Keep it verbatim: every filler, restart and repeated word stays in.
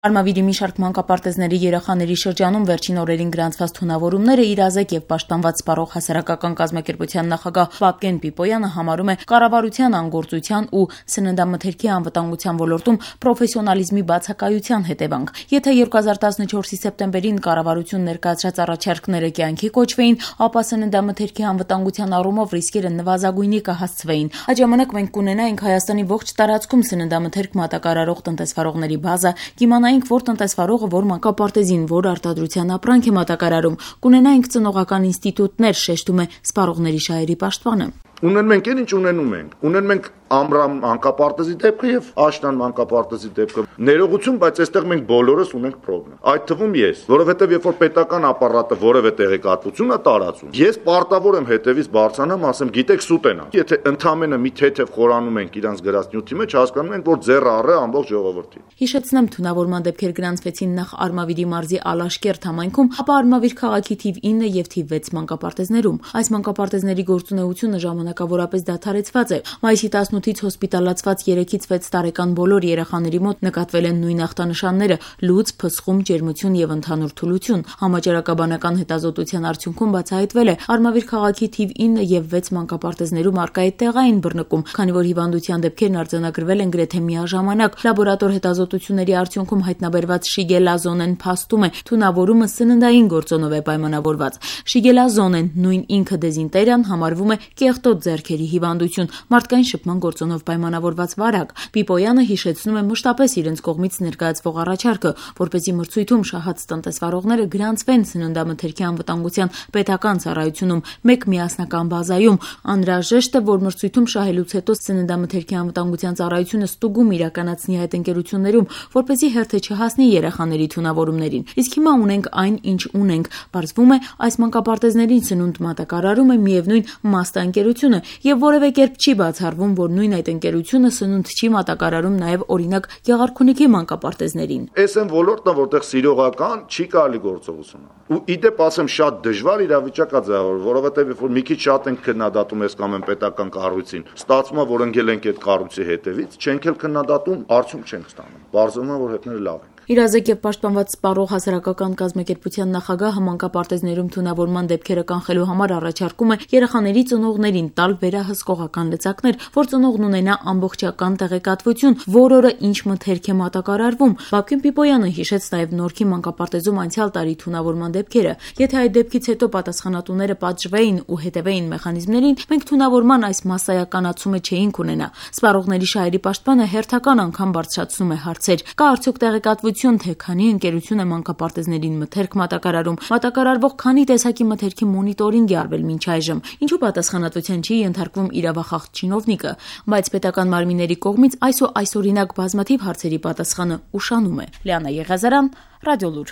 Արմավիրի մի շարք մանկապարտեզների երեխաների շրջանում վերջին օրերին գրանցված թունավորումները իրազեկ եւ պաշտպանված սպառող հասարակական կազմակերպության նախագահ Վավգեն Պիպոյանը համարում է կառավարության անգործության ու սննդամթերքի անվտանգության ոլորտում պրոֆեսիոնալիզմի բացակայության հետևանք։ Եթե երկու հազար տասնչորսի սեպտեմբերին կառավարություն ներկայացրած առաջարկները կյանքի կոչվեին, ապա սննդամթերքի անվտանգության առումով ռիսկերը նվազագույնի կհասցվեին։ Այդ ժամանակ մենք կունենայինք Հայաստանի ողջ տարածքում սննդամթերք մատակարարող տնտեսվարողների բազա, կիմանայինք, որ տնտեսվարողը որ մանկապարտեզին, որ արտադրության ապրանք է մատակարարում, կունենայինք ծնողական ինստիտուտներ, շեշտում է սպառողների շահերի պաշտպանը։ Ունեն մենք էլ ինչ ունենում ենք։ Ունեն մենք Ամրամ մանկապարտեզի դեպքը եւ Աշնան մանկապարտեզի դեպքը։ Ներողություն, բայց այստեղ մենք բոլորս ունենք խնդրեմ։ Այդ թվում ես, որովհետեւ երբ որ պետական ապարատը որևէ տեղեկատվություն է տարածում, ես պարտավոր եմ հետևից բարձրանամ, ասեմ, գիտեք, սուտ են։ Եթե ընդամենը մի թեթև խորանում ենք իրանց գրած նյութի մեջ, հասկանում ենք, որ ձեռը առե ամբողջ ժողովրդի։ Հիշեցնեմ, թունավորման դեպքեր գրանցվեցին նախ Արմավիրի մարզի Ալաշկերտ համայնքում, ապա Արմավիր քաղաքի թիվ ինը եւ թիվ վեց մանկապարտեզներում։ Այս մանկապարտեզների գործունեությունը ժամանակավորապես դադարեցված է։ Մայիսի տասնութից հոսպիտալացված երեքից վեց տարեկան բոլոր երեխաների մոտ նկատվել են նույն ախտանշանները՝ լուծ, փսխում, ջերմություն եւ ընդհանուր թուլություն։ Համաճարակաբանական հետազոտության արդյունքում բացահայտվել է Արմավիր քաղաքի թիվ ինը եւ վեց մանկապարտեզներում առկա է տեղային բռնկում, քանի որ հիվանդության դեպքերն արձանագրվել են գրեթե միաժամանակ։ Լաբորատոր հետազոտությունների արդյունքում հայտնաբերված շիգելազոնեն փաստում է, թունավորումը սննդային գործոնով է պայմանավորված։ Շիգելազոնեն, նույն ինքը դեզինտերիան, համարվում է կեղտոտ ձեռքերի հիվանդություն, մարդկային շփման գործոնով պայմանավորված վարակ։ Պիպոյանը հիշեցնում է մշտապես իրենց կողմից ներկայացվող առաջարկը, որպեսզի մրցույթում շահած տնտեսվարողները գրանցվեն սննդամթերքի անվտանգության պետական ծառայությունում մեկ միասնական բազայում։ Անհրաժեշտ է, որ մրցույթում շահելուց հետո սննդամթերքի անվտանգության ծառայությունը ստուգում իրականացնի այդ ընկերություններում, որպեսզի հերթը չհասնի երեխաների թունավորումներին։ Իսկ հիմա ունենք այն, ինչ ունենք։ Պարզվում է, այս մանկապարտեզներին սնունդ մատակարարում է միևնույն Մաստա ընկերությունը եւ որևէ կերպ չի բացառվում, որ նույն այդ ընկերությունը սնունդ չի մատակարարում նաեւ օրինակ Գեղարքունիքի մանկապարտեզներին։ Էս են ոլորտը, որտեղ սիրողական չի կարելի գործողություն անել։ Ու իդեպ ասեմ, շատ դժվար իրավիճակ է ձևավորվել, որովհետեւ երբ որ մի քիչ շատ ենք քննադատում ես կամ են պետական կառույցին, ստացվում է, որ ընկել ենք այդ կառույցի հետևից, չենք էլ քննադատում, արդյունք չենք ստանում։ Բարձրանում է, որ հետները լավ են։ Իրազեկ եւ պաշտպանված սպառող հասարակական կազմակերպության նախագահը մանկապարտեզներում թունավորման դեպքերը կանխելու համար առաջարկում է երեխաների ծնողներին տալ վերահսկողական լծակներ, որ ծնողն ունենա ամբողջական տեղեկատվություն, որ օրը ինչ մթերք է մատակարարվում։ Վավգեն Պիպոյանը հիշեց նաեւ Նորքի մանկապարտեզում անցյալ տարի թունավորման դեպքերը։ Եթե այդ դեպքից հետո պատասխանատուները պատժվեին ու հետևեին մեխանիզմներին, մենք թունավորման այս մասսայականացումը չէինք ունենա։ Սպառողների շահերի պաշտպանը հերթական անգամ բարձրացնում է հարցեր։ Կա արդյոք տեղեկատվություն, թե քանի ընկերություն է մանկապարտեզներին մթերք մատակարարում, մատակարարվող քանի տեսակի մթերքի մոնիտորինգ է արվել մինչ այժմ, ինչու պատասխանատվության չի ենթարկվում իրավախախտ չինովնիկը, բայց պետական մարմինների կողմից այս ու այսօրինակ բազմաթիվ հարցերի պատասխանը ուշանում է։ Լիանա Եղիազարյան, Ռադիոլուր։